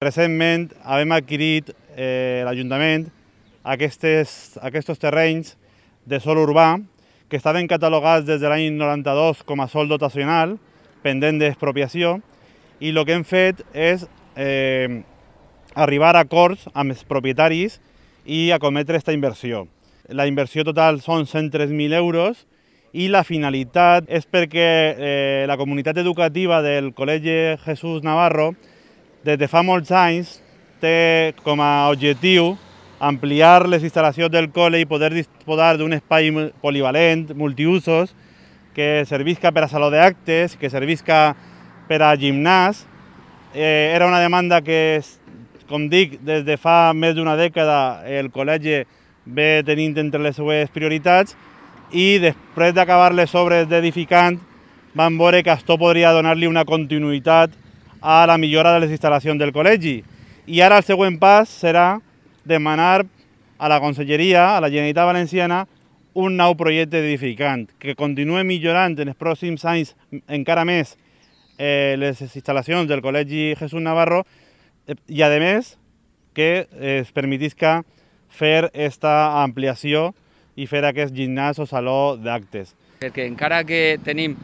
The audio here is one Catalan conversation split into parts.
Recentment hem adquirit l'Ajuntament aquests terrenys de sòl urbà que estaven catalogats des de l'any 92 com a sòl dotacional, pendent d'expropiació, i el que hem fet és arribar a acords amb els propietaris i acometre aquesta inversió. La inversió total són 103.000 euros i la finalitat és perquè la comunitat educativa del Col·legi Jesús Navarro des de fa molts anys té com a objectiu ampliar les instal·lacions del col·le i poder disposar d'un espai polivalent, multiusos, que servisca per a saló d'actes, que servisca per a gimnàs. Era una demanda que, com dic, des de fa més d'una dècada el col·legi ve tenint entre les seues prioritats i després d'acabar les obres d'edificant vam veure que això podria donar-li una continuïtat a la millora de les instal·lacions del col·legi. I ara el següent pas serà demanar a la Conselleria, a la Generalitat Valenciana, un nou projecte d'edificant que continuï millorant en els pròxims anys encara més les instal·lacions del Col·legi Jesús Navarro i, a més, que es permetisca fer aquesta ampliació i fer aquest gimnàs o saló d'actes. Perquè encara que tenim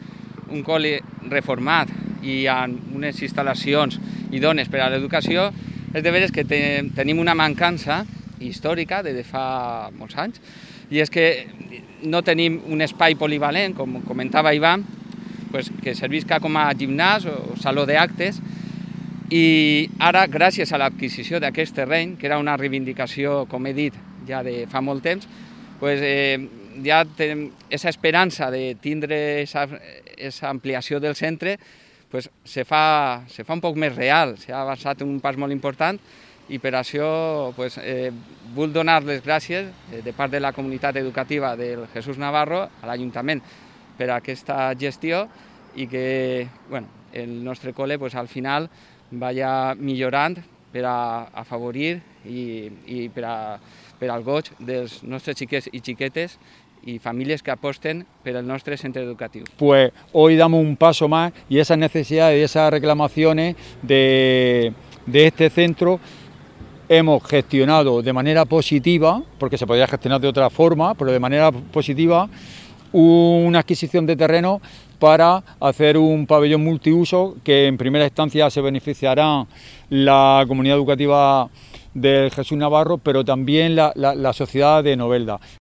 un col·le reformat i hi ha unes instal·lacions idònies per a l'educació, és de veres que tenim una mancança històrica de fa molts anys, i és que no tenim un espai polivalent, com comentava Ivan, que servisca com a gimnàs o saló d'actes, i ara, gràcies a l'adquisició d'aquest terreny, que era una reivindicació, com he dit, ja de fa molt temps, ja tenim aquesta esperança de tindre aquesta ampliació del centre, se fa un poc més real, s'ha avançat un pas molt important, i per això vull donar les gràcies de part de la comunitat educativa del Jesús Navarro a l'Ajuntament per aquesta gestió i que el nostre col·le al final vaya millorant per a afavorir i per al goig dels nostres xiquets i xiquetes y familias que aposten por el nuestro centro educativo. Pues hoy damos un paso más y esas necesidades y esas reclamaciones de este centro hemos gestionado de manera positiva, porque se podría gestionar de otra forma, pero de manera positiva, una adquisición de terreno para hacer un pabellón multiuso que en primera instancia se beneficiará la comunidad educativa del Jesús Navarro, pero también la sociedad de Novelda.